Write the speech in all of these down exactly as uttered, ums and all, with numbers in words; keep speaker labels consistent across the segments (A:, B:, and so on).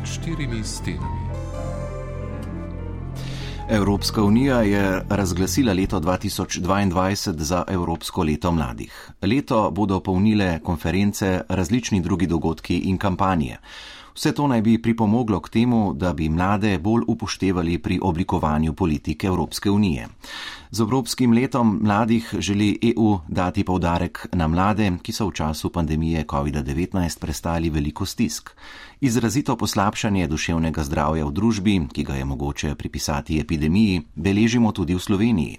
A: Štirimi stenami.
B: Evropska unija je razglasila leto dva tisoč dvaindvajset za Evropsko leto mladih. Leto bodo polnile konference, različni drugi dogodki in kampanje. Vse to naj bi pripomoglo k temu, da bi mlade bolj upoštevali pri oblikovanju politike Evropske unije. Z Evropskim letom mladih želi E U dati poudarek na mlade, ki so v času pandemije covid devetnajst prestali veliko stisk. Izrazito poslabšanje duševnega zdravja v družbi, ki ga je mogoče pripisati epidemiji, beležimo tudi v Sloveniji.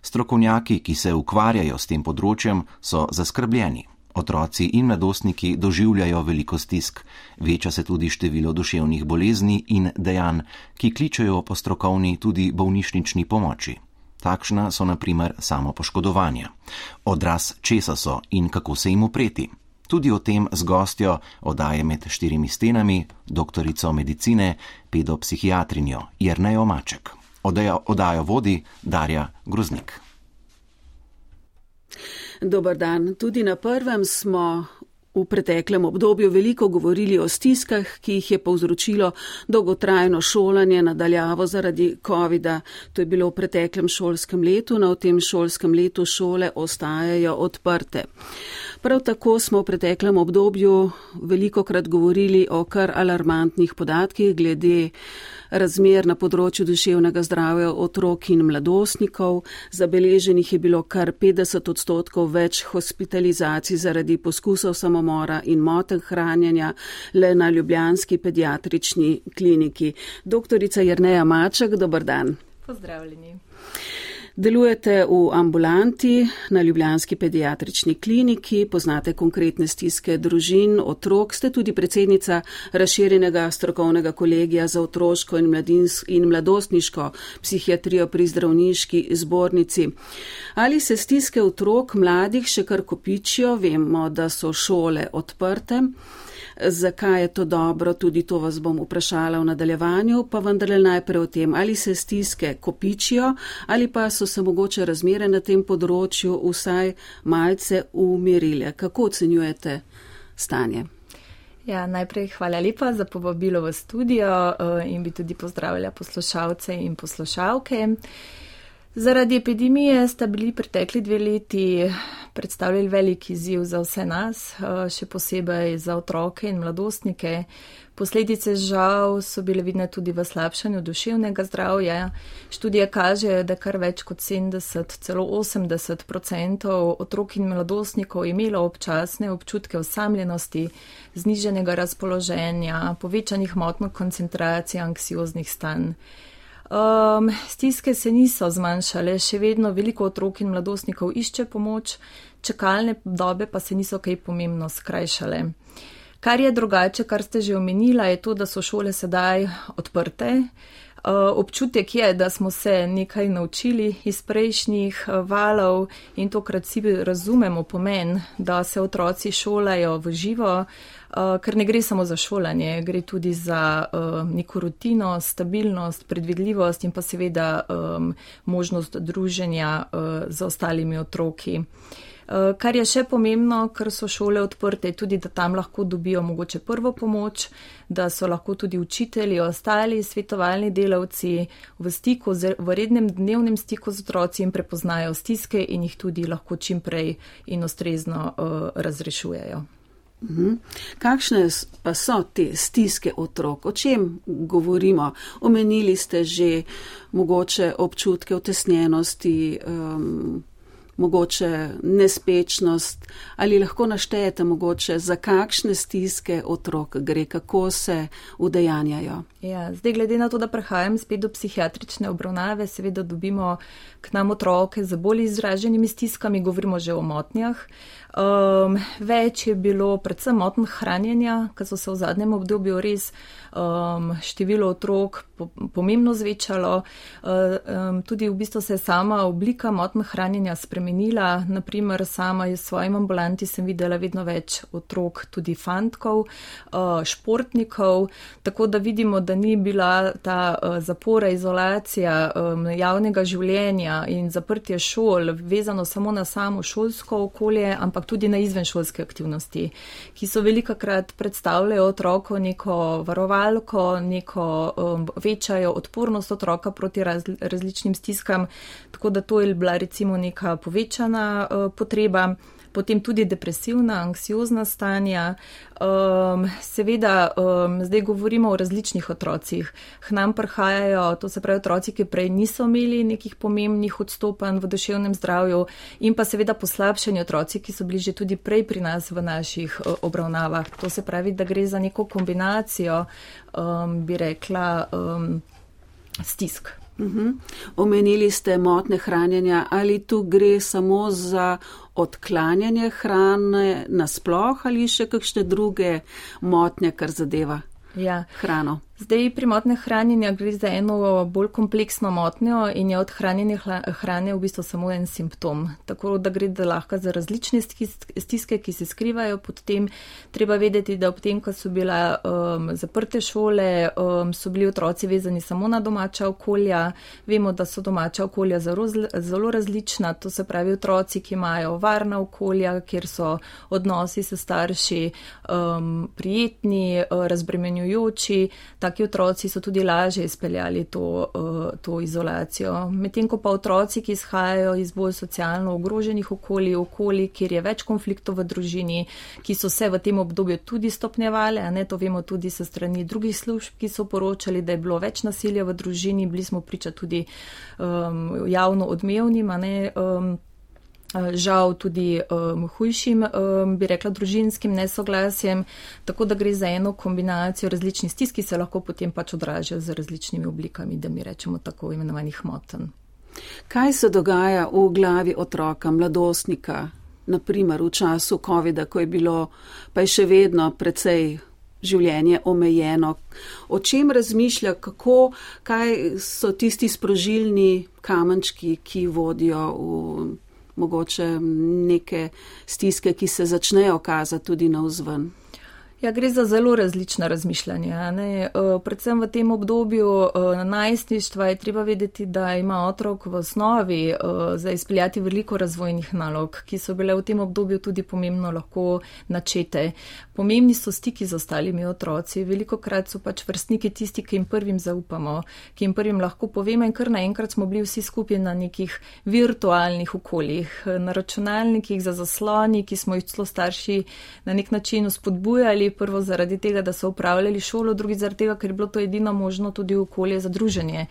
B: Strokovnjaki, ki se ukvarjajo s tem področjem, so zaskrbljeni. Otroci in mladostniki doživljajo veliko stisk, veča se tudi število duševnih bolezni in dejanj, ki kličejo po strokovni tudi bolnišnični pomoči. Takšna so na primer samopoškodovanja. Odraz česa so in kako se jim upreti. Tudi o tem z gostjo oddaje Med štirimi stenami, doktorico medicine, pedopsihiatrinjo Jernejo Maček. Oddajo, oddajo vodi Darja Groznik.
C: Dobar dan. Tudi na prvem smo v preteklem obdobju veliko govorili o stiskah, ki jih je povzročilo dolgotrajno šolanje nadaljavo zaradi covida. To je bilo v preteklem šolskem letu, na v tem šolskem letu šole ostajajo odprte. Prav tako smo v preteklem obdobju velikokrat govorili o kar alarmantnih podatkih glede razmer na področju duševnega zdravja otrok in mladostnikov. Zabeleženih je bilo kar petdeset odstotkov več hospitalizacij zaradi poskusov samomora in motenj hranjenja le na ljubljanski pediatrični kliniki. Doktorica Jerneja Maček, dober dan.
D: Pozdravljeni.
C: Delujete v ambulanti na ljubljanski pediatrični kliniki, poznate konkretne stiske družin, otrok, ste tudi predsednica razširjenega strokovnega kolegija za otroško in, in mladostniško psihiatrijo pri zdravniški zbornici. Ali se stiske otrok mladih še kar kopičijo? Vemo, da so šole odprte. Zakaj je to dobro, tudi to vas bom vprašala v nadaljevanju, pa vendarle najprej o tem, ali se stiske kopičijo ali pa so se mogoče razmere na tem področju vsaj malce umirile. Kako ocenjujete stanje?
D: Ja, najprej hvala lepa za povabilo v studio in bi tudi pozdravila poslušalce in poslušalke. Zaradi epidemije sta bili pretekli dve leti predstavljali velik izziv za vse nas, še posebej za otroke in mladostnike. Posledice žal so bile vidne tudi v slabšanju duševnega zdravja. Študije kažejo, da kar več kot sedemdeset, celo osemdeset odstotkov otrok in mladostnikov imelo občasne občutke osamljenosti, znižanega razpoloženja, povečanih motenj koncentracije, anksioznih stanj. Um, stiske se niso zmanjšale, še vedno veliko otrok in mladostnikov išče pomoč, čakalne dobe pa se niso kaj pomembno skrajšale. Kar je drugače, kar ste že omenila, je to, da so šole sedaj odprte. Uh, občutek je, da smo se nekaj naučili iz prejšnjih uh, valov in tokrat si razumemo pomen, da se otroci šolajo v živo, uh, ker ne gre samo za šolanje, gre tudi za uh, neko rutino, stabilnost, predvidljivost in pa seveda um, možnost druženja uh, z ostalimi otroki. Kar je še pomembno, ker so šole odprte, tudi da tam lahko dobijo mogoče prvo pomoč, da so lahko tudi učitelji, ostali svetovalni delavci v stiku, v rednem dnevnem stiku z otroci in prepoznajo stiske in jih tudi lahko čim prej in ustrezno uh, razrešujejo.
C: Mhm. Kakšne pa so te stiske otrok? O čem govorimo? Omenili ste že mogoče občutke utesnjenosti, um, mogoče nespečnost, ali lahko naštejete mogoče, za kakšne stiske otrok gre, kako se udejanjajo?
D: Ja, zdaj glede na to, da prehajam spet do psihiatrične obravnave, seveda dobimo k nam otroke z bolj izraženimi stiskami, govorimo že o motnjah. Um, več je bilo predvsem motn hranjenja, ker so se v zadnjem obdobju res um, število otrok po, pomembno zvečalo. Um, tudi v bistvu se je sama oblika motn hranjenja spremenila. Naprimer, sama v svojem ambulanti sem videla vedno več otrok, tudi fantkov, uh, športnikov, tako da vidimo, da ni bila ta uh, zapora, izolacija um, javnega življenja in zaprtje šol vezano samo na samo šolsko okolje, ampak tudi na izvenšolske aktivnosti, ki so velikokrat predstavljajo otroku neko varovalko, neko um, večajo odpornost otroka proti raz, različnim stiskam, tako da to je bila recimo neka povečana uh, potreba. Potem tudi depresivna, anksiozna stanja. Um, seveda, um, zdaj govorimo o različnih otrocih. K nam prihajajo, to se pravi otroci, ki prej niso imeli nekih pomembnih odstopanj v duševnem zdravju in pa seveda poslabšeni otroci, ki so bili že tudi prej pri nas v naših uh, obravnavah. To se pravi, da gre za neko kombinacijo, um, bi rekla, um, stisk.
C: Uhum. Omenili ste motnje hranjenja, ali tu gre samo za odklanjanje hrane nasploh ali še kakšne druge motnje, kar zadeva
D: ja.
C: hrano?
D: Zdaj pri motnjah hranjenja gre za eno bolj kompleksno motnjo in je odhranjanje hrane v bistvu samo en simptom. Tako da gre da lahko za različne stiske, ki se skrivajo pod tem. Treba vedeti, da ob tem, ko so bile um, zaprte šole, um, so bili otroci vezani samo na domača okolja. Vemo, da so domača okolja zelo, zelo različna. To se pravi otroci, ki imajo varna okolja, kjer so odnosi s starši um, prijetni, razbremenjujoči. Taki otroci so tudi lažje izpeljali to, to izolacijo. Medtem ko pa otroci, ki izhajajo iz bolj socialno ogroženih okolij, okolij, kjer je več konfliktov v družini, ki so se v tem obdobju tudi stopnjevali, a ne, to vemo tudi sa strani drugih služb, ki so poročali, da je bilo več nasilja v družini, bili smo priča tudi um, javno odmevnim, a ne, um, žal tudi um, hujšim, um, bi rekla, družinskim nesoglasjem, tako da gre za eno kombinacijo različnih stisk, ki se lahko potem pač odražajo z različnimi oblikami, da mi rečemo tako imenovanih motenj.
C: Kaj se dogaja v glavi otroka, mladostnika, naprimer v času covida, ko je bilo, pa je še vedno precej življenje omejeno? O čem razmišlja, kako, kaj so tisti sprožilni kamenčki, ki vodijo v mogoče neke stiske, ki se začnejo kazati tudi navzven?
D: Ja, gre za zelo različna razmišljanja. Ne? Predvsem v tem obdobju najstništva je treba vedeti, da ima otrok v osnovi za izpeljati veliko razvojnih nalog, ki so bile v tem obdobju tudi pomembno lahko načete. Pomembni so stiki z ostalimi otroci. Velikokrat so pač vrstniki tisti, ki jim prvim zaupamo, ki jim prvim lahko povemo in kar naenkrat smo bili vsi skupaj na nekih virtualnih okoljih, na računalnikih za zasloni, ki smo jih celo starši na nek način spodbujali, prvo zaradi tega, da so upravljali šolo, drugi zaradi tega, ker je bilo to edino možno tudi okolje za druženje.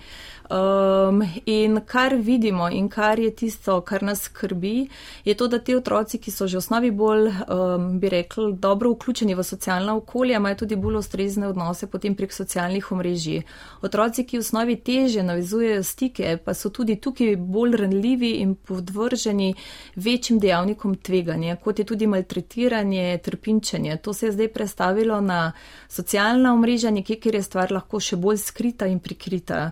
D: Um, in kar vidimo in kar je tisto, kar nas skrbi, je to, da te otroci, ki so že v osnovi bolj, um, bi rekli, dobro vključeni v socialna okolja, imajo tudi bolj ustrezne odnose potem prek socialnih omrežij. Otroci, ki v osnovi teže navezujejo stike, pa so tudi tukaj bolj ranljivi in podvrženi večjim dejavnikom tveganja, kot je tudi maltretiranje, trpinčenje. To se je zdaj prestavilo na socialna omrežja, nekje, kjer je stvar lahko še bolj skrita in prikrita.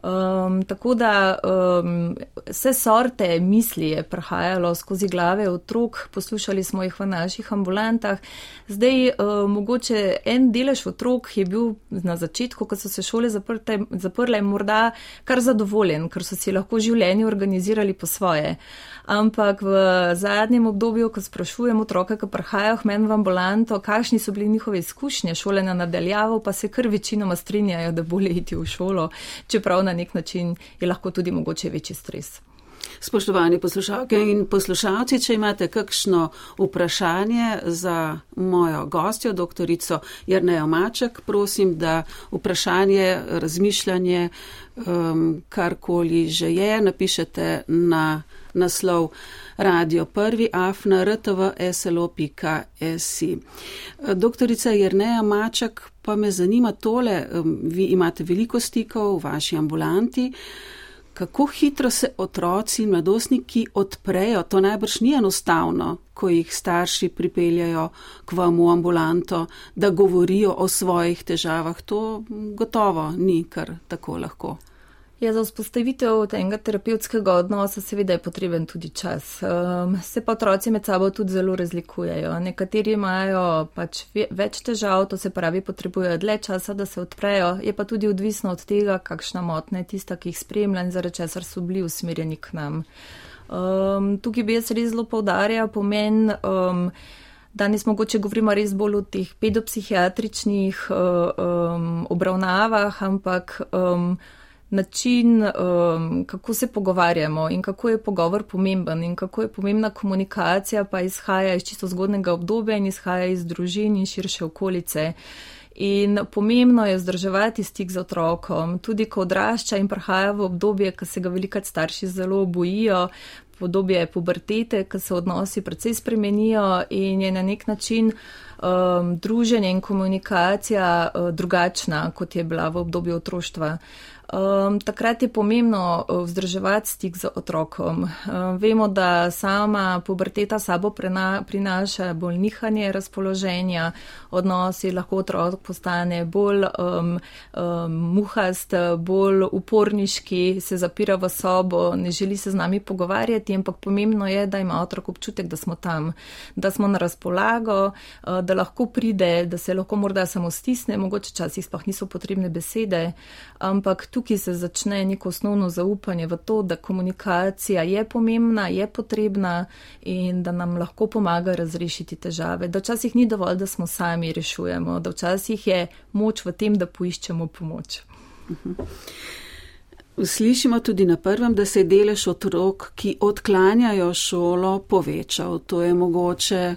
D: Um, tako da um, vse sorte misli je prihajalo skozi glave otrok, poslušali smo jih v naših ambulantah. Zdaj, uh, mogoče en delež otrok je bil na začetku, ko so se šole zaprte, zaprle, morda kar zadovoljen, ker so si lahko življenje organizirali po svoje. Ampak v zadnjem obdobju, ko sprašujem otroka, ki prihajajo k meni v ambulanto, kakšni so bili njihove izkušnje šolanja nadaljavo, pa se kar večinoma strinjajo, da bolje iti v šolo, čeprav na nek način je lahko tudi mogoče večji stres.
C: Spoštovani poslušalke in poslušalci, če imate kakšno vprašanje za mojo gostjo, doktorico Jernejo Maček, prosim, da vprašanje, razmišljanje, um, karkoli že je, napišete na naslov Radio Prvi afna r t v s l o pika s i. Doktorica Jerneja Maček, pa me zanima tole, vi imate veliko stikov v vaši ambulanti. Kako hitro se otroci in mladostniki odprejo? To najbrž ni enostavno, ko jih starši pripeljajo k vam v ambulanto, da govorijo o svojih težavah. To gotovo ni kar tako lahko.
D: Ja, za vzpostavitev tega terapevtskega odnosa seveda je potreben tudi čas. Um, se pa otroci med sabo tudi zelo razlikujejo. Nekateri imajo pač več težav, to se pravi potrebujejo dlje časa, da se odprejo, je pa tudi odvisno od tega, kakšna motnja je tista, ki jih spremlja in zaradi česar so bili usmerjeni k nam. Um, tukaj bi jaz res zelo poudarjal pomen, um, danes mogoče govorimo res bolj o teh pedopsihiatričnih uh, um, obravnavah, ampak um, način, um, kako se pogovarjamo in kako je pogovor pomemben in kako je pomembna komunikacija, pa izhaja iz čisto zgodnega obdobja in izhaja iz družin in širše okolice. In pomembno je vzdrževati stik z otrokom, tudi ko odrašča in prihaja v obdobje, ko se ga velikokrat starši zelo bojijo, podobje pubertete, ko se odnosi precej spremenijo in je na nek način um, druženje in komunikacija uh, drugačna, kot je bila v obdobju otroštva. Um, takrat je pomembno vzdrževati stik z otrokom. Um, vemo, da sama puberteta sabo prena, prinaša bolj nihanje razpoloženja, odnosi, lahko otrok postane bolj um, um, muhast, bolj uporniški, se zapira v sobo, ne želi se z nami pogovarjati, ampak pomembno je, da ima otrok občutek, da smo tam, da smo na razpolago, uh, da lahko pride, da se lahko morda samo stisne, mogoče časih sploh niso potrebne besede, ampak tukaj se začne neko osnovno zaupanje v to, da komunikacija je pomembna, je potrebna in da nam lahko pomaga razrešiti težave. Da včasih ni dovolj, da smo sami rešujemo, da včasih je moč v tem, da poiščemo pomoč.
C: Slišimo tudi na prvem, da se je delež otrok, ki odklanjajo šolo, povečal. To je mogoče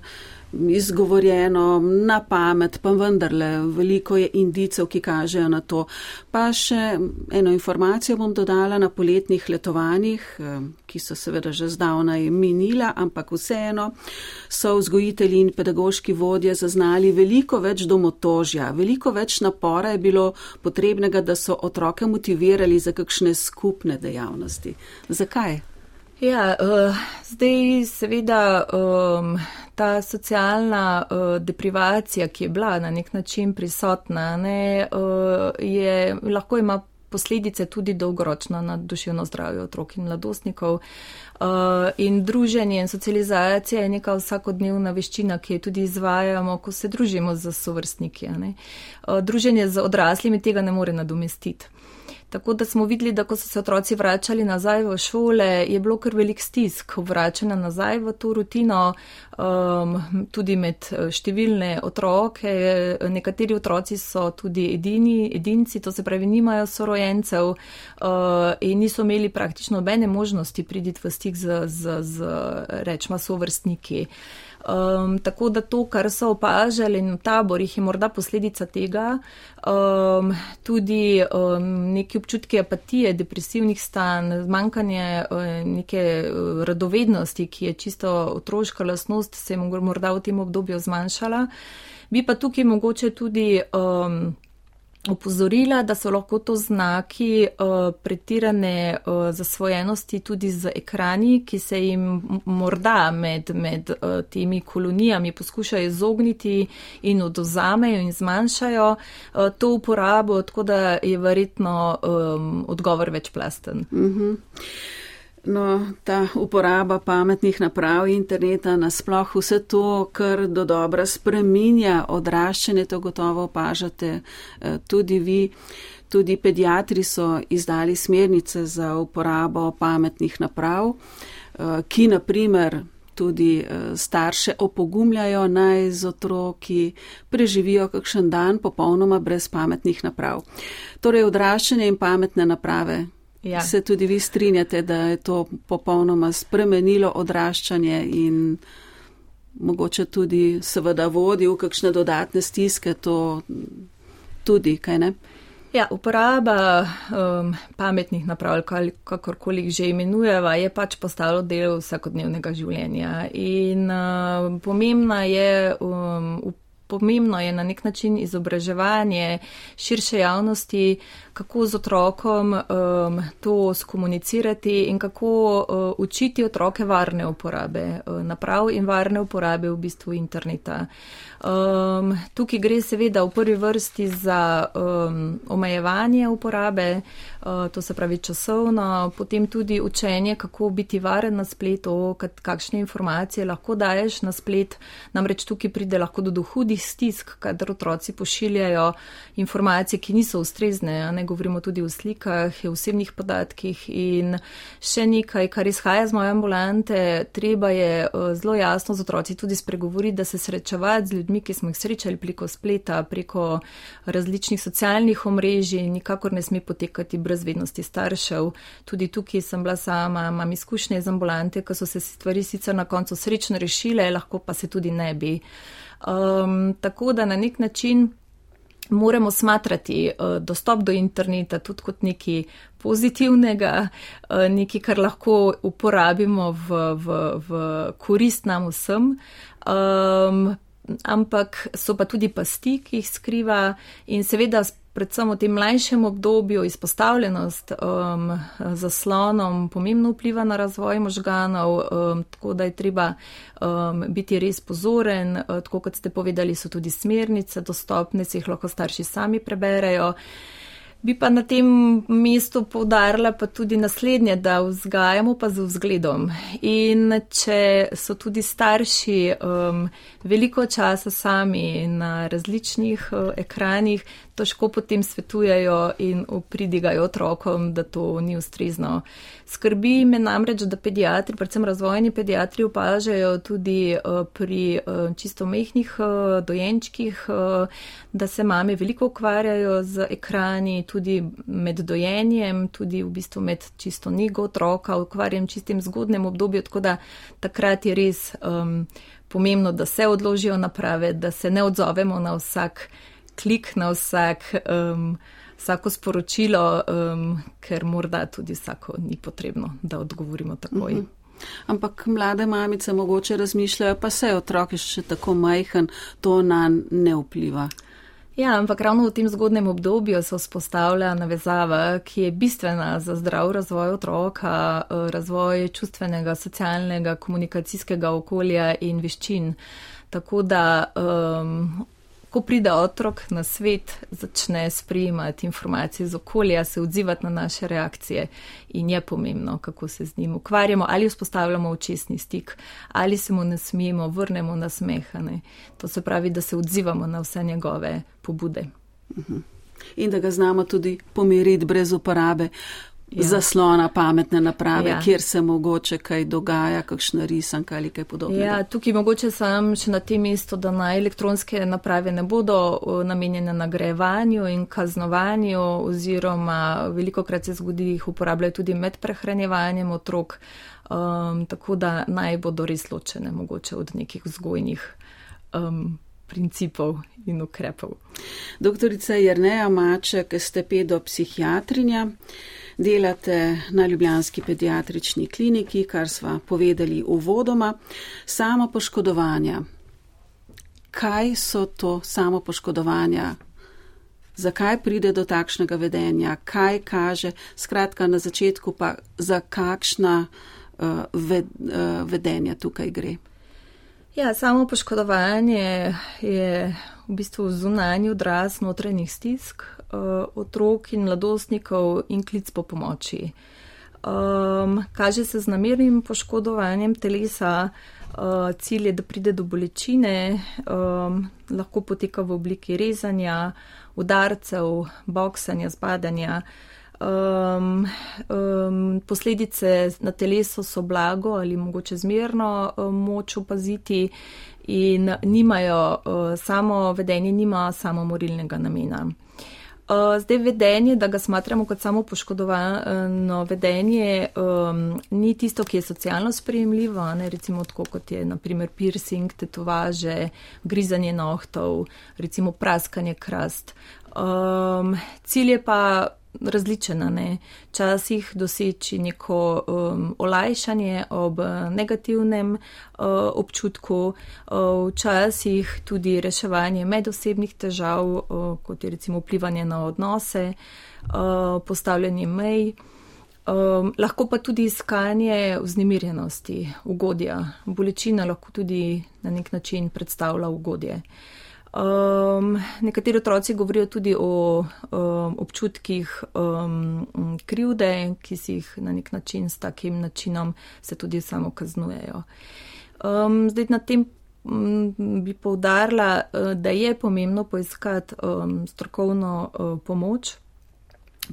C: izgovorjeno na pamet, pa vendarle veliko je indicev, ki kažejo na to. Pa še eno informacijo bom dodala na poletnih letovanjih, ki so seveda že zdavnaj minila, ampak vseeno so vzgojitelji in pedagoški vodje zaznali veliko več domotožja, veliko več napora je bilo potrebnega, da so otroke motivirali za kakšne skupne dejavnosti. Zakaj?
D: Ja, uh, zdaj seveda um, ta socialna uh, deprivacija, ki je bila na nek način prisotna, ne, uh, je, lahko ima posledice tudi dolgoročno na duševno zdravje otrok in mladostnikov. Uh, in druženje in socializacija je neka vsakodnevna veščina, ki jo tudi izvajamo, ko se družimo z sovrstniki. Ne. Uh, druženje z odraslimi tega ne more nadomestiti. Tako da smo videli, da ko so se otroci vračali nazaj v šole, je bilo kar velik stisk vračanja nazaj v to rutino, um, tudi med številne otroke. Nekateri otroci so tudi edini, edinci, to se pravi, nimajo sorojencev uh, in niso imeli praktično nobene možnosti priti v stik z, z, z rečma sovrstniki. Um, tako da to, kar so opažali v taborih, je morda posledica tega, um, tudi um, neki občutki apatije, depresivnih stanj, zmanjkanje um, neke radovednosti, ki je čisto otroška lastnost, se je morda v tem obdobju zmanjšala. Bi pa tukaj mogoče tudi um, opozorila, da so lahko to znaki uh, pretirane uh, zasvojenosti tudi z ekrani, ki se jim morda med, med uh, temi kolonijami poskušajo izogniti in odozamejo in zmanjšajo uh, to uporabo, tako da je verjetno um, odgovor večplasten.
C: Mm-hmm. No, ta uporaba pametnih naprav interneta, nasploh vse to, kar do dobra spreminja odraščanje, to gotovo opažate tudi vi. Tudi pediatri so izdali smernice za uporabo pametnih naprav, ki naprimer tudi starše opogumljajo, naj z otroki preživijo kakšen dan popolnoma brez pametnih naprav. Torej odraščanje in pametne naprave Ja. Se tudi vi strinjate, da je to popolnoma spremenilo odraščanje in mogoče tudi seveda vodi v kakšne dodatne stiske, to tudi, kaj ne?
D: Ja, uporaba um, pametnih naprav, kakorkoli jih že imenujeva, je pač postalo del vsakodnevnega življenja in uh, pomembna je um, Pomembno je na nek način izobraževanje širše javnosti, kako z otrokom um, to skomunicirati in kako uh, učiti otroke varne uporabe uh, naprav in varne uporabe v bistvu interneta. Um, tukaj gre seveda v prvi vrsti za um, omejevanje uporabe, uh, to se pravi časovno, potem tudi učenje, kako biti varen na spletu, kakšne informacije lahko daješ na splet, namreč tukaj pride lahko do hudih stisk, kadar otroci pošiljajo informacije, ki niso ustrezne, ne govorimo tudi o slikah, osebnih podatkih in še nekaj, kar izhaja z moje ambulante, treba je uh, zelo jasno z otroci tudi spregovoriti, da se srečevati z ljudmi, ki smo jih srečali preko spleta, preko različnih socialnih omrežij, nikakor ne sme potekati brez vednosti staršev. Tudi tukaj sem bila sama, imam izkušnje iz ambulante, ko so se stvari sicer na koncu srečno rešile, lahko pa se tudi ne bi. Um, tako da na nek način moramo smatrati uh, dostop do interneta tudi kot nekaj pozitivnega, uh, nekaj, kar lahko uporabimo v, v, v korist nam vsem. Um, ampak so pa tudi pasti, ki jih skriva in seveda predvsem v tem mlajšem obdobju izpostavljenost um, zaslonom pomembno vpliva na razvoj možganov, um, tako da je treba um, biti res pozoren, uh, tako kot ste povedali, so tudi smernice dostopne, se jih lahko starši sami preberejo. Bi pa na tem mestu poudarila pa tudi naslednje, da vzgajamo pa z vzgledom. In če so tudi starši um, veliko časa sami na različnih uh, ekranih, težko potem svetujejo in pridigajo otrokom, da to ni ustrezno. Skrbi me namreč, da pediatri, predvsem razvojni pediatri, opažajo tudi uh, pri uh, čisto mehnih uh, dojenčkih, uh, da se mame veliko ukvarjajo z ekrani, tudi med dojenjem, tudi v bistvu med čisto nego otroka, ukvarjem čistim zgodnem obdobju, tako da takrat je res um, pomembno, da se odložijo naprave, da se ne odzovemo na vsak klik, na vsak, um, vsako sporočilo, um, ker morda tudi vsako ni potrebno, da odgovorimo takoj. Uh-huh.
C: Ampak mlade mamice mogoče razmišljajo, pa se otrok je še tako majhen, to nanj ne vpliva.
D: Ja, ampak ravno v tem zgodnem obdobju se vzpostavlja navezava, ki je bistvena za zdrav razvoj otroka, razvoj čustvenega, socialnega, komunikacijskega okolja in veščin. Tako da, um, ko pride otrok na svet, začne sprejemati informacije iz okolja, se odzivati na naše reakcije in je pomembno, kako se z njim ukvarjamo, ali vzpostavljamo očesni stik, ali se mu nasmejimo, vrnemo na smehane. To se pravi, da se odzivamo na vse njegove pobude.
C: Uh-huh. In da ga znamo tudi pomiriti brez uporabe ja. zaslona, pametne naprave, ja. kjer se mogoče kaj dogaja, kakšna risanka ali kaj podobnega.
D: Ja, tukaj mogoče sem še na tem mestu, da na elektronske naprave ne bodo namenjene nagrajevanju in kaznovanju, oziroma velikokrat se zgodi, jih uporabljajo tudi med prehranjevanjem otrok, um, tako da naj bodo res ločene mogoče od nekih vzgojnih um, principov in ukrepov.
C: Doktorica Jerneja Maček, ste pedopsihiatrinja, delate na ljubljanski pediatrični kliniki, kar sva povedali uvodoma. Samopoškodovanja. Kaj so to samopoškodovanja? Zakaj pride do takšnega vedenja? Kaj kaže? Skratka, na začetku pa za kakšna uh, ved, uh, vedenja tukaj gre?
D: Ja, samo poškodovanje je v bistvu zunanji odraz notranjih stisk uh, otrok in mladostnikov in klic po pomoči. Um, kaže se z namernim poškodovanjem telesa, uh, cilj je, da pride do bolečine, um, lahko poteka v obliki rezanja, udarcev, boksanja, zbadanja. Um, um, posledice na telesu so blago ali mogoče zmerno um, moč opaziti in nimajo, uh, samo vedenje nima samomorilnega namena. Zdaj vedenje, da ga smatramo kot samo poškodovano vedenje, um, ni tisto, ki je socialno sprejemljivo, ne, recimo tako kot je naprimer piercing, tetovaže, grizanje nohtov, recimo praskanje krast. Um, cilj je pa različen, ne, časih doseči neko um, olajšanje ob negativnem uh, občutku, uh, včasih tudi reševanje medosebnih težav, uh, kot je recimo vplivanje na odnose, uh, postavljanje mej, um, lahko pa tudi iskanje vznemirjenosti, ugodja. Bolečina lahko tudi na nek način predstavlja ugodje. Um, nekateri otroci govorijo tudi o um, občutkih um, krivde, ki si jih na nek način s takim načinom se tudi samo kaznujejo. Um, zdaj na tem um, bi poudarila, da je pomembno poiskati um, strokovno uh, pomoč,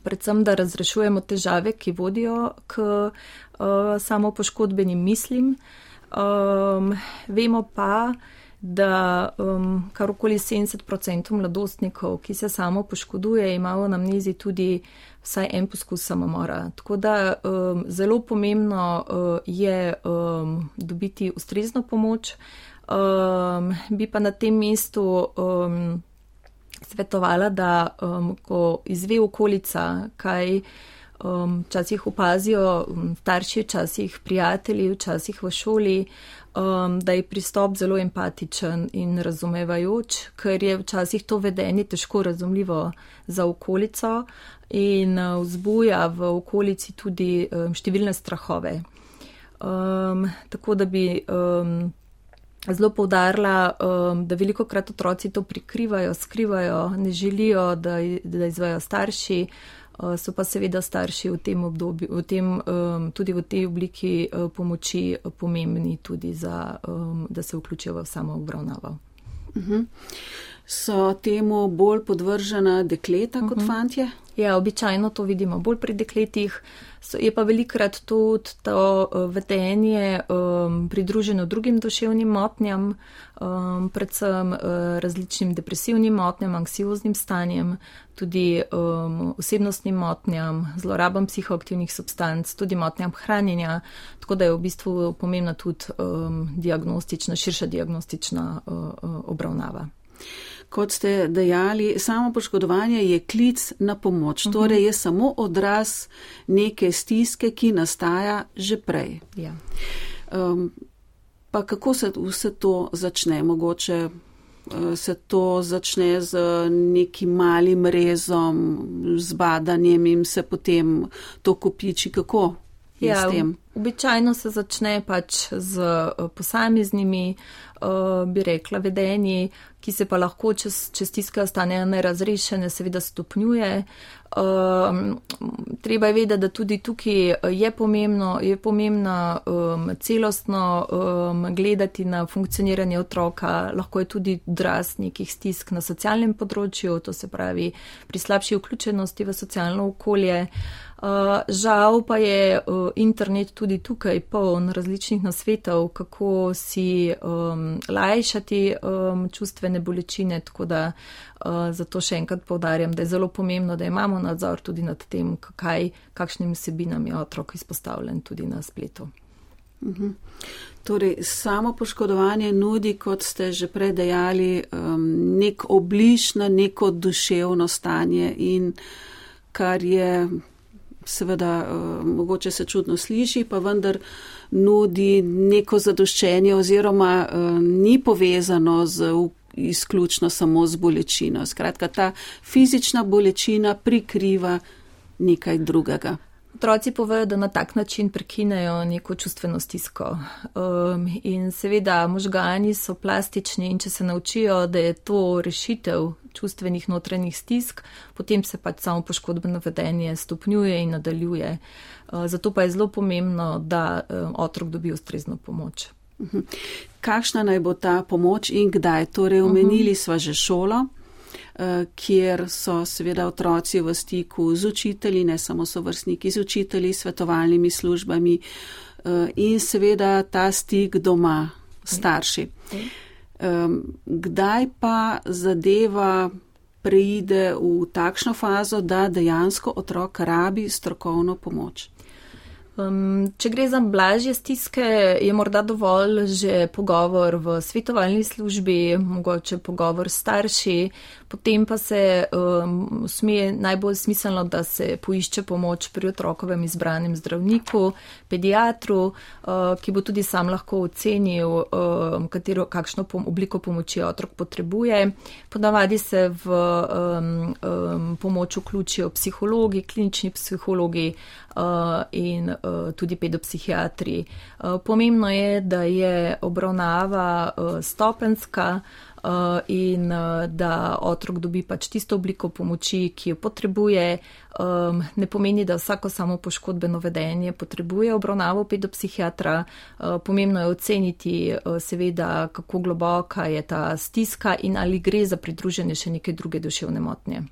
D: predvsem da razrešujemo težave, ki vodijo k uh, samopoškodbenim mislim. Um, vemo pa, da um, kar okoli sedemdeset odstotkov mladostnikov, ki se samo poškoduje, ima v anamnezi tudi vsaj en poskus samomora. Tako da um, zelo pomembno uh, je um, dobiti ustrezno pomoč. Um, bi pa na tem mestu um, svetovala, da um, ko izve okolica, kaj um, včasih opazijo starši, včasih prijatelji, včasih v šoli, Um, da je pristop zelo empatičen in razumevajoč, ker je včasih to vedenje težko razumljivo za okolico in uh, vzbuja v okolici tudi um, številne strahove. Um, tako da bi um, zelo poudarila, um, da veliko krat otroci to prikrivajo, skrivajo, ne želijo, da, da izvajo starši. So pa seveda starši v tem obdobju, v tem, tudi v tej obliki pomoči pomembni tudi za, da se vključijo v samo obravnavo.
C: Uh-huh. So temu bolj podvržena dekleta kot uh-huh. fantje?
D: Ja, običajno to vidimo bolj pri dekletih. So, je pa velikrat tudi to vedenje um, pridruženo drugim duševnim motnjam, um, predvsem uh, različnim depresivnim motnjam, anksioznim stanjem, tudi um, osebnostnim motnjam, zlorabam psihoaktivnih substanc, tudi motnjam hranjenja, tako da je v bistvu pomembna tudi um, diagnostična, širša diagnostična uh, uh, obravnava.
C: Kot ste dejali, samo poškodovanje je klic na pomoč, uh-huh. torej je samo odraz neke stiske, ki nastaja že prej.
D: Ja.
C: Um, pa kako se vse to začne? Mogoče uh, se to začne z nekim malim rezom, z badanjem in se potem to kopiči. Kako je
D: ja,
C: s tem?
D: Običajno se začne pač z posameznimi, uh, bi rekla, vedenji, ki se pa lahko, če, če stiske ostanejo nerazrešene, seveda stopnjuje. Um, treba je vedeti, da tudi tukaj je pomembno, je pomembna um, celostno um, gledati na funkcioniranje otroka, lahko je tudi odraz nekih stisk na socialnem področju, to se pravi pri slabši vključenosti v socialno okolje. Uh, žal pa je uh, internet tudi tukaj poln različnih nasvetov, kako si um, lajšati um, čustvene bolečine, tako da uh, zato še enkrat poudarjam, da je zelo pomembno, da imamo nadzor tudi nad tem, kaj, kakšnim vsebinam je otrok izpostavljen tudi na spletu.
C: Uh-huh. Torej, samo poškodovanje nudi, kot ste že prej dejali, um, nek obliž na neko duševno stanje in kar je seveda uh, mogoče se čudno sliši, pa vendar nudi neko zadoščenje oziroma uh, ni povezano z izključno samo z bolečino. Skratka, ta fizična bolečina prikriva nekaj drugega.
D: Otroci povejo, da na tak način prekinejo neko čustveno stisko. Um, in seveda možgani so plastični in če se naučijo, da je to rešitev čustvenih notranjih stisk, potem se pač samo poškodbeno vedenje stopnjuje in nadaljuje. Uh, zato pa je zelo pomembno, da um, otrok dobi ustrezno pomoč.
C: Uh-huh. Kakšna naj bo ta pomoč in kdaj? Torej, omenili uh-huh. sva že šolo, kjer so seveda otroci v stiku z učitelji, ne samo sovrstniki, z učitelji, svetovalnimi službami in seveda ta stik doma, starši. Kdaj pa zadeva preide v takšno fazo, da dejansko otrok rabi strokovno pomoč?
D: Um, če gre za blažje stiske, je morda dovolj že pogovor v svetovalni službi, mogoče pogovor s starši, potem pa se um, smije najbolj smiselno, da se poišče pomoč pri otrokovem izbranem zdravniku, pediatru, uh, ki bo tudi sam lahko ocenil, um, katero, kakšno pom- obliko pomoči otrok potrebuje. Ponavadi se v um, um, pomoč vključijo psihologi, klinični psihologi uh, in uh, tudi pedopsihiatri. Uh, pomembno je, da je obravnava uh, stopenska uh, in uh, da otrok dobi pač tisto obliko pomoči, ki jo potrebuje. Um, ne pomeni, da vsako samo poškodbeno vedenje potrebuje obravnavo pedopsihiatra. Uh, pomembno je oceniti uh, seveda, kako globoka je ta stiska in ali gre za pridruženje še neke druge duševne motnje.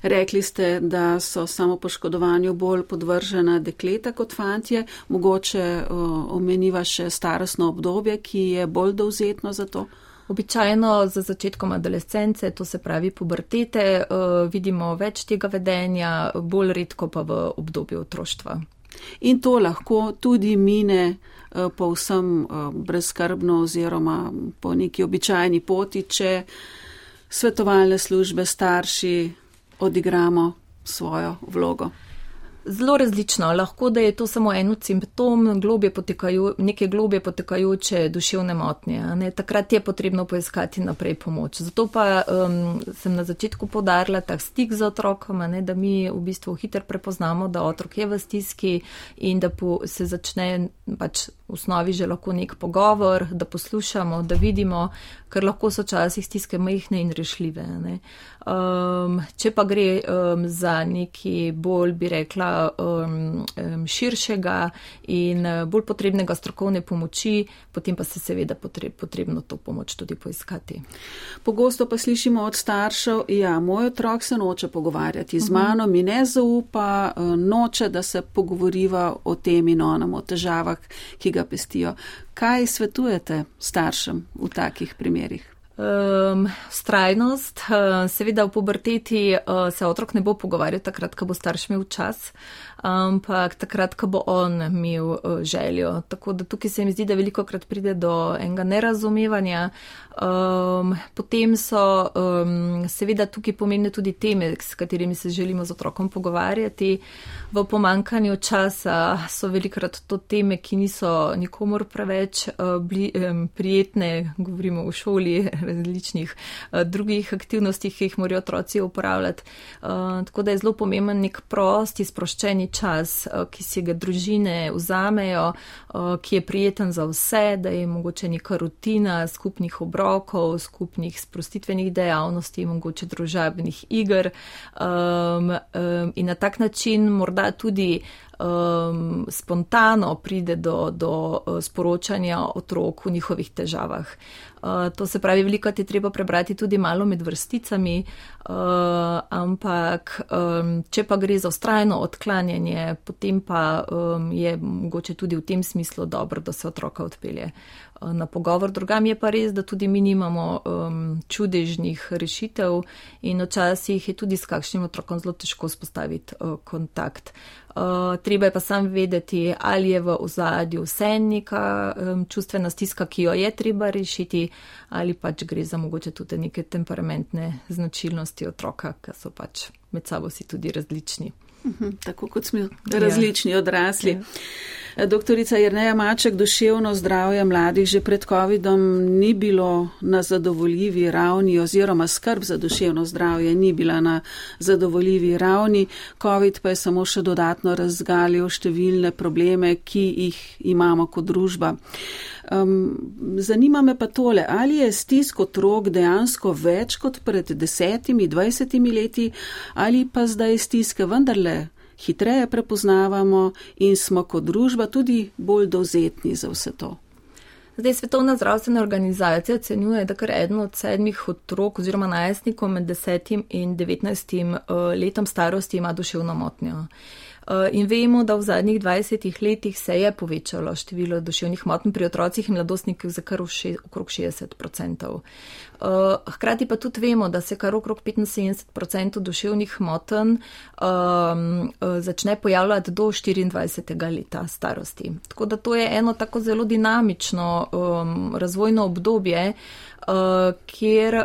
C: Rekli ste, da so samopoškodovanju bolj podvržena dekleta kot fantje. Mogoče uh, omeniva še starostno obdobje, ki je bolj dovzetno za to?
D: Običajno za začetkom adolescence, to se pravi pubertete, uh, vidimo več tega vedenja, bolj redko pa v obdobju otroštva.
C: In to lahko tudi mine uh, povsem uh, brezskrbno oziroma po neki običajni poti, če svetovalne službe, starši odigramo svojo vlogo.
D: Zelo različno. Lahko, da je to samo en od simptom globje potekajo, neke globje potekajoče duševne motnje. Ne? Takrat je potrebno poiskati naprej pomoč. Zato pa um, sem na začetku poudarila tak stik z otrokom, ne? Da mi v bistvu hitro prepoznamo, da otrok je v stiski in da po, se začne pač v osnovi že lahko nek pogovor, da poslušamo, da vidimo, ker lahko so časih stiske majhne in rešljive. Ne? Um, če pa gre um, za neki bolj, bi rekla, um, um, širšega in bolj potrebnega strokovne pomoči, potem pa se seveda potreb, potrebno to pomoč tudi poiskati.
C: Pogosto pa slišimo od staršev, ja, moj otrok se noče pogovarjati z mano, mi ne zaupa, noče, da se pogovoriva o tem in onem, o težavah, ki ga pestijo. Kaj svetujete staršem v takih primerih?
D: Um, Vztrajnost, uh, seveda v puberteti uh, se otrok ne bo pogovarjal takrat, ko bo starš imel čas, ampak takrat, ko bo on imel uh, željo. Tako da tukaj se mi zdi, da veliko krat pride do enega nerazumevanja. Um, potem so um, seveda tukaj pomembne tudi teme, s katerimi se želimo z otrokom pogovarjati. V pomankanju časa so velikokrat to teme, ki niso nikomor preveč uh, bli, um, prijetne, govorimo v šoli, različnih uh, drugih aktivnostih, ki jih morajo otroci uporabljati. Uh, tako da je zelo pomemben nek prosti, sproščeni čas, uh, ki si ga družine vzamejo, uh, ki je prijeten za vse, da je mogoče neka rutina skupnih obrokov, skupnih sprostitvenih dejavnosti, mogoče družabnih iger um, um, in na tak način morda tudi Um, spontano pride do, do uh, sporočanja otrok v njihovih težavah. Uh, to se pravi, veliko je treba prebrati tudi malo med vrsticami, uh, ampak um, če pa gre za vztrajno odklanjanje, potem pa um, je mogoče tudi v tem smislu dobro, da se otroka odpelje uh, na pogovor. Drugam je pa res, da tudi mi nimamo um, čudežnih rešitev in včasih je tudi s kakšnim otrokom zelo težko spostaviti uh, kontakt. Uh, treba je pa sam vedeti, ali je v ozadju vse neka um, čustvena stiska, ki jo je treba rešiti, ali pač gre za mogoče tudi neke temperamentne značilnosti otroka, ki so pač med sabo si tudi različni.
C: Uhum, tako kot smo različni ja. odrasli. Ja. Doktorica Jerneja Maček, duševno zdravje mladih že pred covidom ni bilo na zadovoljivi ravni oziroma skrb za duševno zdravje ni bila na zadovoljivi ravni. Covid pa je samo še dodatno razgalil številne probleme, ki jih imamo kot družba. Um, zanima me pa tole, ali je stisk otrok dejansko več kot pred desetimi, dvajsetimi leti, ali pa zdaj stiske vendarle hitreje prepoznavamo in smo kot družba tudi bolj dovzetni za vse to.
D: Zdaj, Svetovna zdravstvena organizacija ocenjuje, da kar eden od sedmih otrok oziroma najstnikov med desetim in devetnajstim letom starosti ima duševno motnjo. In vemo, da v zadnjih dvajsetih letih se je povečalo število duševnih motenj pri otrocih in mladostnikih za kar okrog šestdeset odstotkov. Hkrati pa tudi vemo, da se kar okrog petinsedemdeset odstotkov duševnih motenj um, začne pojavljati do štiriindvajsetega leta starosti. Tako da to je eno tako zelo dinamično um, razvojno obdobje, Uh, kjer uh,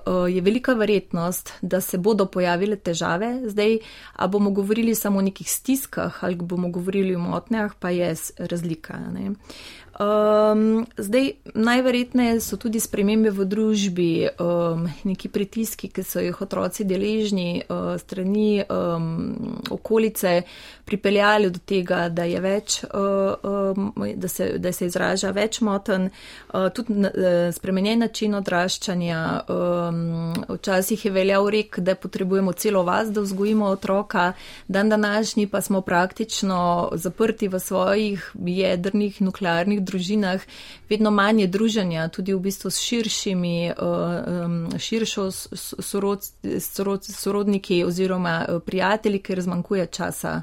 D: uh, je velika verjetnost, da se bodo pojavile težave. Zdaj, a bomo govorili samo o nekih stiskah ali bomo govorili o motnjah, pa je razlika. Ne? Um, zdaj, najverjetneje so tudi spremembe v družbi, um, neki pritiski, ki so jih otroci deležni uh, strani um, okolice, pripeljali do tega, da je več, uh, um, da, se, da se izraža več motenj, uh, tudi uh, spremenjen način odraščanja. Um, včasih je veljal rek, da potrebujemo celo vas, da vzgojimo otroka, dan današnji pa smo praktično zaprti v svojih jedrnih nuklearnih družinah, vedno manje druženja, tudi v bistvu s širšimi, širšo sorod, sorod, sorodniki oziroma prijatelji, ker zmanjkuje časa.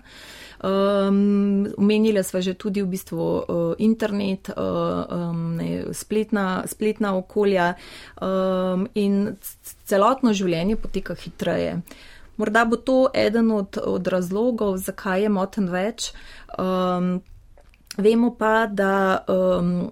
D: Um, omenila sva že tudi v bistvu uh, internet, uh, um, ne, spletna, spletna okolja um, in celotno življenje poteka hitreje. Morda bo to eden od, od razlogov, zakaj je motenj več. Um, Vemo pa, da um,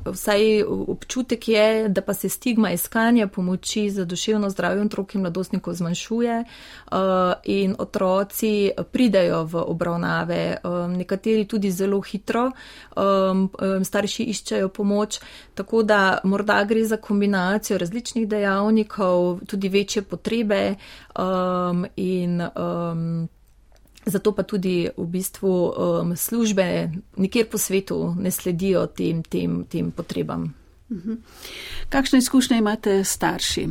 D: vsaj občutek je, da pa se stigma iskanja pomoči za duševno zdravje otrok in mladostnikov zmanjšuje uh, in otroci pridajo v obravnave, um, nekateri tudi zelo hitro, um, starši iščejo pomoč, tako da morda gre za kombinacijo različnih dejavnikov, tudi večje potrebe um, in um, zato pa tudi v bistvu um, službe nikjer po svetu ne sledijo tem, tem, tem potrebam.
C: Uh-huh. Kakšne izkušnje imate starši?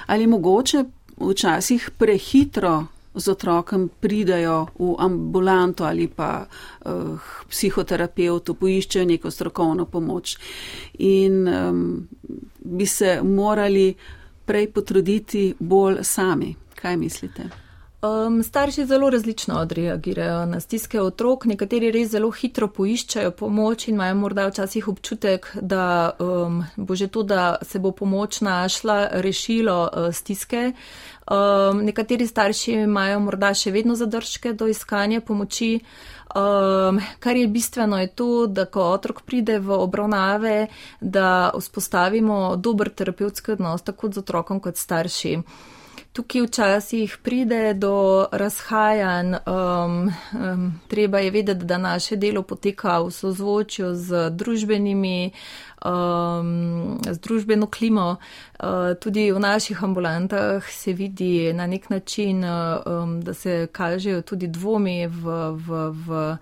C: Ali mogoče včasih prehitro z otrokom pridajo v ambulanto ali pa uh, psihoterapeutu, poiščejo neko strokovno pomoč in um, bi se morali prej potruditi bolj sami? Kaj mislite?
D: Um, starši zelo različno odreagirajo na stiske otrok, nekateri res zelo hitro poiščajo pomoč in imajo morda včasih občutek, da um, bo že to, da se bo pomoč našla, rešilo uh, stiske. Um, nekateri starši imajo morda še vedno zadržke do iskanja pomoči. Um, kar je bistveno je to, da ko otrok pride v obravnave, da vzpostavimo dober terapevtski odnos tako z otrokom kot starši. Tukaj včasih pride do razhajanj, um, um, treba je vedeti, da naše delo poteka v sozvočju z družbenimi, um, z družbeno klimo. Uh, tudi v naših ambulantah se vidi na nek način, um, da se kažejo tudi dvomi v, v, v,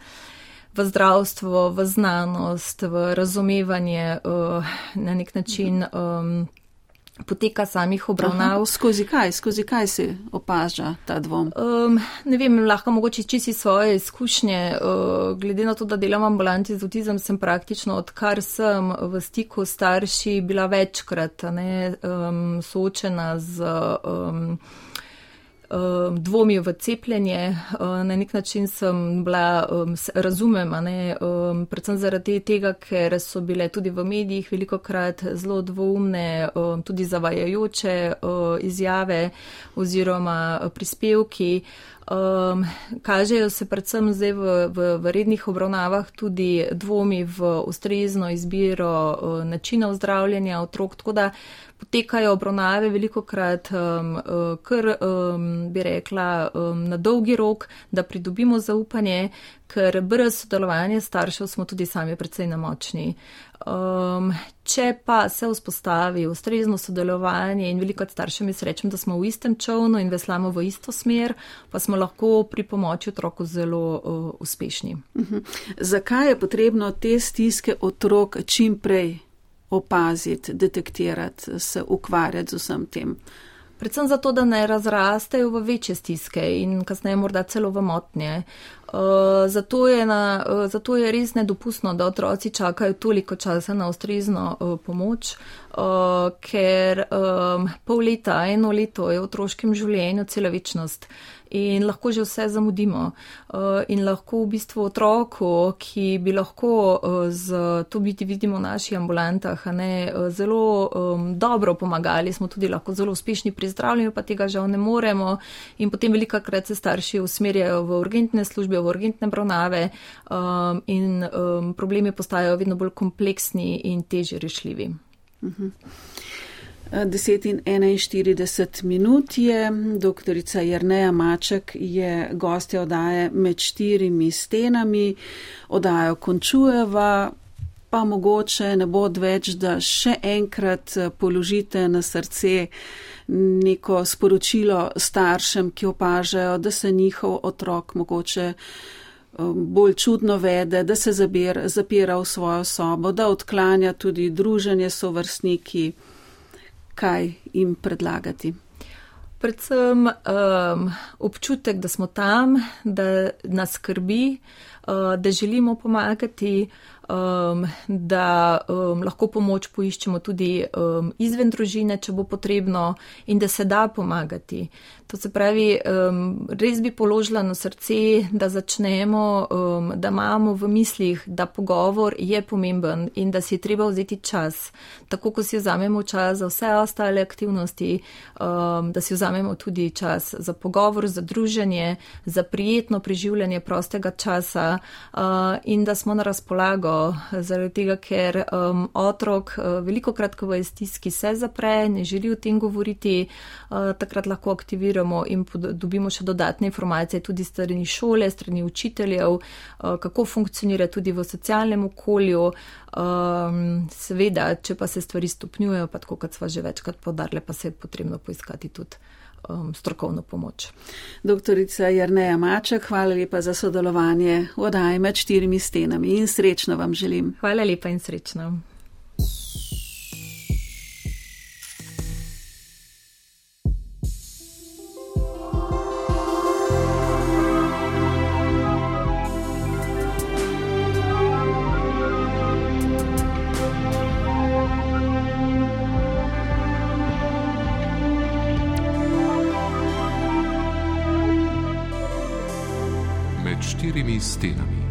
D: v zdravstvo, v znanost, v razumevanje, uh, na nek način um, poteka samih obravnav.
C: Aha, skozi kaj? Skozi kaj se opaža ta dvom?
D: Um, ne vem, lahko mogoče čisti svoje izkušnje. Uh, glede na to, da delam v ambulanti z avtizem, sem praktično, odkar sem v stiku s starši, bila večkrat ne, um, soočena z um, dvomi v cepljenje. Na nek način sem bila, razumem, ne, predvsem zaradi tega, ker so bile tudi v medijih velikokrat zelo dvoumne, tudi zavajajoče izjave oziroma prispevki. Um, kažejo se predvsem zdaj v, v, v rednih obravnavah tudi dvomi v ustrezno izbiro uh, načina zdravljenja otrok, tako da potekajo obravnave velikokrat um, uh, kar, um, bi rekla, um, na dolgi rok, da pridobimo zaupanje, ker brez sodelovanja staršev smo tudi sami precej nemočni. Um, če pa se vzpostavi ustrezno sodelovanje in veliko staršem jaz rečem, da smo v istem čovnu in veslamo v isto smer, pa smo lahko pri pomoči otroku zelo uh, uspešni.
C: Uh-huh. Zakaj je potrebno te stiske otrok čim prej opaziti, detektirati, se ukvarjati z vsem tem?
D: Predvsem zato, da ne razrastejo v večje stiske in kasneje morda celo v motnje. Uh, zato, je na, uh, zato je res nedopustno, da otroci čakajo toliko časa na ustrezno uh, pomoč, uh, ker um, pol leta, eno leto je v otroškem življenju cela večnost. in lahko že vse zamudimo. In lahko v bistvu otroku, ki bi lahko z, to biti vidimo v naših ambulantah, a ne, zelo um, dobro pomagali, smo tudi lahko zelo uspešni pri zdravljenju, pa tega žal ne moremo in potem velikokrat se starši usmerjajo v urgentne službe, v urgentne obravnave um, in um, problemi postajajo vedno bolj kompleksni in težje rešljivi.
C: Uh-huh. deset in enainštirideset minut je, doktorica Jerneja Maček je gostja oddaje Med štirimi stenami, oddajo končujeva, pa mogoče ne bo odveč, da še enkrat položite na srce neko sporočilo staršem, ki opažajo, da se njihov otrok mogoče bolj čudno vede, da se zabir, zapira v svojo sobo, da odklanja tudi druženje s sovrstniki. Kaj jim predlagati?
D: Predvsem um, občutek, da smo tam, da nas skrbi, uh, da želimo pomagati, um, da um, lahko pomoč poiščemo tudi um, izven družine, če bo potrebno, in da se da pomagati. To se pravi, um, res bi položila na srce, da začnemo, um, da imamo v mislih, da pogovor je pomemben in da si je treba vzeti čas. Tako, ko si vzamemo čas za vse ostale aktivnosti, um, da si vzamemo tudi čas za pogovor, za druženje, za prijetno preživljanje prostega časa uh, in da smo na razpolago, zaradi tega, ker um, otrok uh, velikokrat, ko je v stiski, se zapre, ne želi o tem govoriti, uh, takrat lahko aktiviramo in dobimo še dodatne informacije tudi strani šole, strani učiteljev, kako funkcionira tudi v socialnem okolju. Seveda, če pa se stvari stopnjujejo, pa tako, kot sva že večkrat poudarili, pa se je potrebno poiskati tudi strokovno pomoč.
C: Doktorica Jerneja Maček, hvala lepa za sodelovanje v oddaji Med štirimi stenami in srečno vam želim.
D: Hvala lepa in srečno.
A: Med štirimi stenami.